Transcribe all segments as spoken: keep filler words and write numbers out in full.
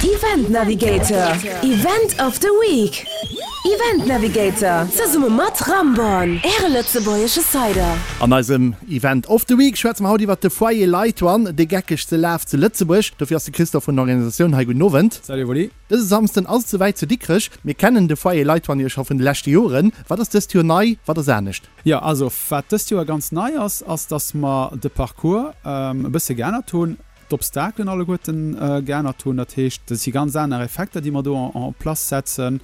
Event Navigator, Event of the Week. Event Navigator, zesumme mat Ramborn, Äre lëtzebuergesche Cider. An eisem Event of the Week schwätze mer haut iwwert de Foyer Light One, de geckegste Laf zu Lëtzebuerg. Dofir ass de Christophe vun der Organisatioun hei. Gudden Owend. Salut Wally. Dëse Samsden ass et souwäit zu Dikrech. Mir kennen de Foyer Light One jo scho vun de leschte Joren. Wat ass dëst Joer nei, wat ass anescht? Jo, also wat dëst Joer ganz nei ass, ass dass mer de Parcours e bësse geännert hunn. d'Obstakelen alleguerten geännert hunn. Dat heescht, dat si ganz aner Effekter, déi mer do en place setzen.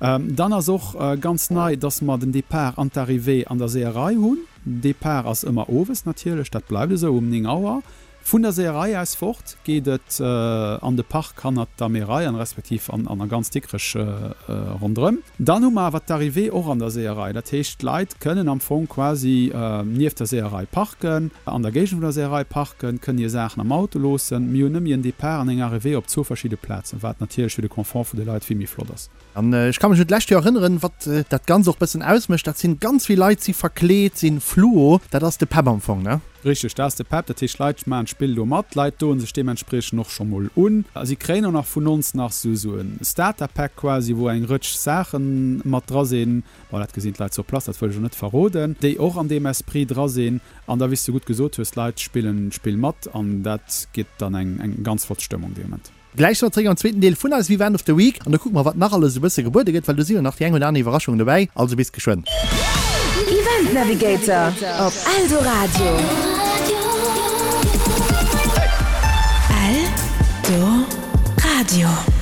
Dann ass och ganz nei, dass mer den Départ an d'Arrivée an der Seeërei hunn. Départ ass ëmmer owes natierlech, dat bleift esou, um néng Auer. Vun der Seeërei aus fort geet et an de Park hannert der Meerei an respektiv an a ganz Dikrech ronderëm. Dann hu mer awer d'Arrivée och an der Seeërei. Dat heescht, d'Leit kënnen am Fong quasi nieft der Seeërei parken, an der Géigend vun der Seeërei parken, kënnen hir Saachen am Auto loossen. Mir hunn nëmme en Depart an eng Arrivée op zwou verschidde Plazen, wat natierlech fir de Confort vun de Leit vill méi flott ass. An ech ka mech un d'lescht Joer erënneren, wat dat Ganzt och bëssen ausmécht, dat sinn ganz vill Leit si verkleet, sinn fluo, dat ass de Pep am Fong, ne? Richteg, dat ass de Pep. Dat heescht, d'Leit maachen d'Spill do mat, d'Leit doen sech deementspriechend och scho mol un. Si kréien och nach vun ons nach esou e Starter-Pack quasi, wou eng Rëtsch Saache mat dra sinn, bon, dat gesinn d'Leit sur place, dat wëll ech elo net verroden, déi och an deem Esprit dra sinn. An da, wéi s de gutt gesot hues, d'Leit spillen d'Spill mat an dat gétt dann eng ganz flott Stëmmung dee Moment. Gläich si mer zeréck am zweeten Deel vun eisem Event of the Week an do kucke mer, wat nach alles esou bësse gebuede gëtt, well do si jo nach déi eng oder aner Iwwerraschung dobäi. Also bis geschwënn. Event Navigator op Eldoradio. Eldoradio.